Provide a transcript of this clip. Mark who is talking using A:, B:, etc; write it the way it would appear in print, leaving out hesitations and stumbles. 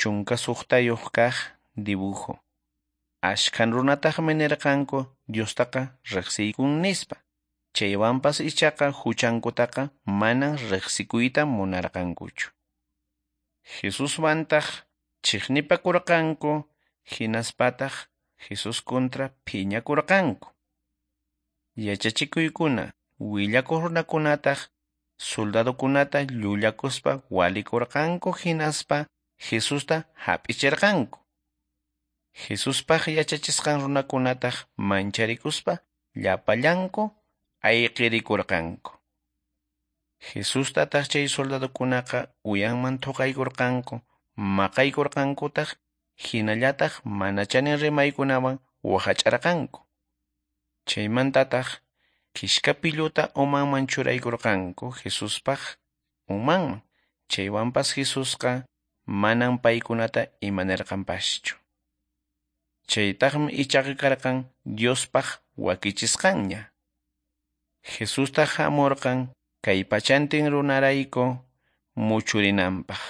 A: 16 kaq dibujo. Ashkan runataqmi nirqanku Diostaqa riqsiykun nispa. Chaywanpas ichaqa huchankutaqa manan riqsikuyta munarqankuchu. Jesuswantaq chiqnipakurqanku, hinaspataq Jesús kontra phiñakurqanku. Yachachikuykuna willakuq runakunataq soldadokunata llullakuspa walikurqanku hinaspa Jesusta hap'ichirqanku. Jesuspaq yachachisqan runakunataq mancharikuspa llapallanku ayqirikurqanku. Jesustataq chay soldadokunaqa uyanman thuqaykurqanku, maqaykurqankutaq, hinallataq mana chanin rimaykunawan waqach'arqanku. Chaymantataq kishka pilluta umanman churaykurqanku Jesuspaq umanman. Chaywanpas Jesusqa manan paykunata imanirqanpaschu. Chaytaqmi ichaqa karqan Diospaq wakichisqanña. Jesustaq hamurqan kay pachantin runarayku muchurinanpaq.